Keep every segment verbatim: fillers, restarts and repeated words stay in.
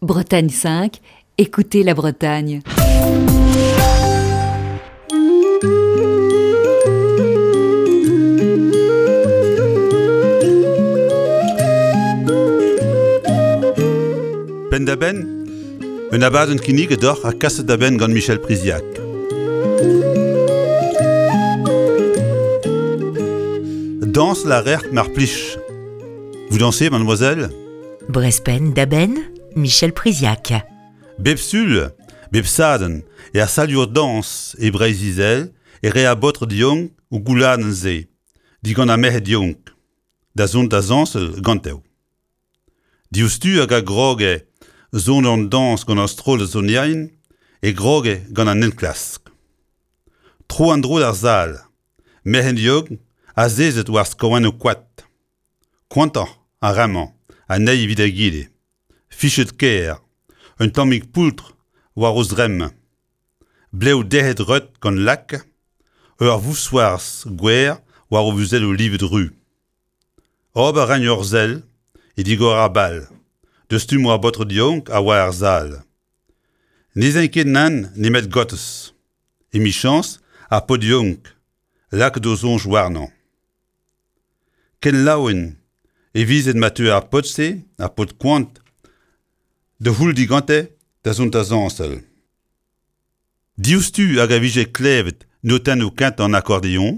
Bretagne cinq, écoutez la Bretagne. Penn-da-benn, un abadenn kinniget deoc'h ha kaset da benn gant Michel Priziac. Dañsal a ret mar plij. Vous dansez, mademoiselle? Brest Penn-da-Benn, Michel Priziac. Bep sul, bep sadorn, er salioù dañs e Breizh-Izel e rae ar baotred yaouank o goulenn-se, digant ar merc'hed yaouank, da zont da zañsal ganto. Diouzhtu hag a groge son an dañs gant ar strollad sonerien e groge gant an enklask. Tro an dro d'ar sal, merc'hed yaouank azezet war skaoñennoù koad. Koantoc'h ar re-mañ an eil evit egile. Fichet kaer, un tammig poultr war o zremm. Blev derc'het reut gant lak, ur vousc'hoarzh gwer war o muzelloù livet ru. Ober a raent ur sell e digor ar bal, deus stummoù ar baotred yaouank a oa er sal. Ne z'aint ket nann nemet gortoz. Emichañs ar paotr yaouank, lakaet o soñj warnañ. Ken laouen e vizent ma teu ar paotr-se, ar paotr koant, da c'houll digante da zont da zañsal. Diouzhtu hag a vije klevet notennoù kentañ an akordeon,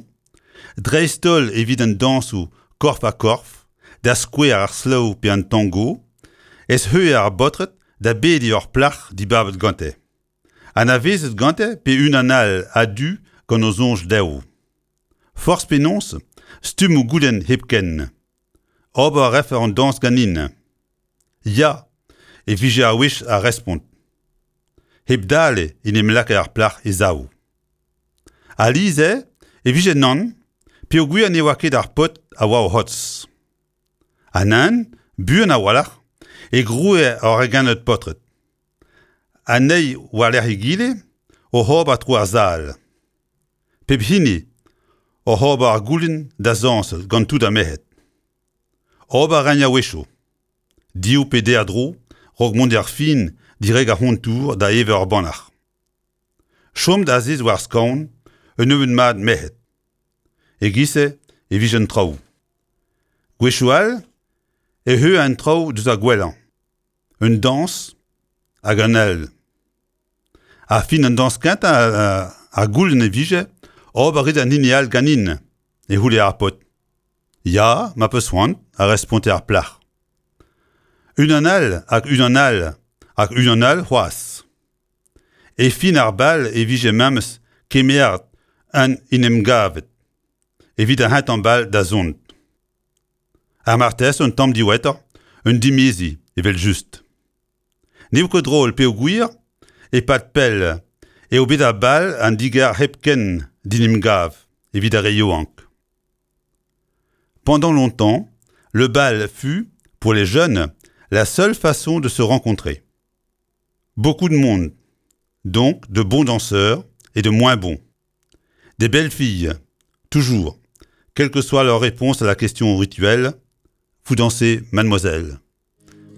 dreist-holl evit an dañsoù korf-ha-korf, da skouer ar slow pe an tango, ez heue ar baotred da bediñ ur plac'h dibabet gante. Anavezet gante pe unan all a-du gant o soñj dezho. Forzh penaos, stummoù goulenn hepken. Ober a refec'h an dañs ganin. Ya, e vije ar wech ar respont. Hep dale en em lakae ar plac'h e sav. Alies e vije nann, peogwir ne oa ket ar paotr a oa o c'hortoz. Ha nann, buan a-walc'h, e groe ur regennad paotred. An eil war-lerc'h egile oc'h ober tro ar sal. Pep hini oc'h ober ar goulenn da zañsal gant tout ar merc'hed. Ober a raent a-wechoù. Div pe deir dro, raok mont d'ar fin dirak ar c'hontour da evañ ur bannac'h. Chom da azez war skaoñ, un nebeud mat merc'hed. E-giz-se e vije an traoù. Gwechoù all e heue an traoù deus ar gwellañ. Un dañs hag un all. Ha fin an dañs kentañ ar goulenn e vije ober rit an hini all ganin, e c'houlle ar paotr. Ya, ma peus c'hoant, a responte ar plac'h. Unan all hag unan all hag unan all c'hoazh. E fin ar bal e vije memes kemeret an en em gavet, evit ar c'hentañ bal da zont. Ha marteze un tamm diwezhatoc'h, un dimeziñ evel-just. N'eo ket drol peogwir, e-pad pell, eo bet ar bal an digar hepken d'en em gav evit ar re yaouank. Pendant longtemps, le bal fut, pour les jeunes, la seule façon de se rencontrer. Beaucoup de monde, donc de bons danseurs et de moins bons. Des belles filles, toujours, quelle que soit leur réponse à la question rituelle, vous dansez, mademoiselle.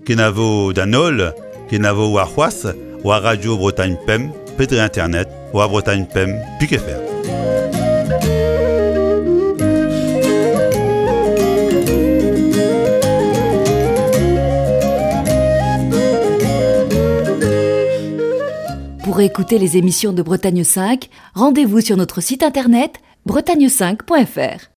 Kenavo d'an holl, kenavo warc'hoazh, war Radio Bretagne Pemp, pe dre internet, war Bretagne Pemp, pik F R. Pour écouter les émissions de Bretagne cinq, rendez-vous sur notre site internet bretagne cinq point F R.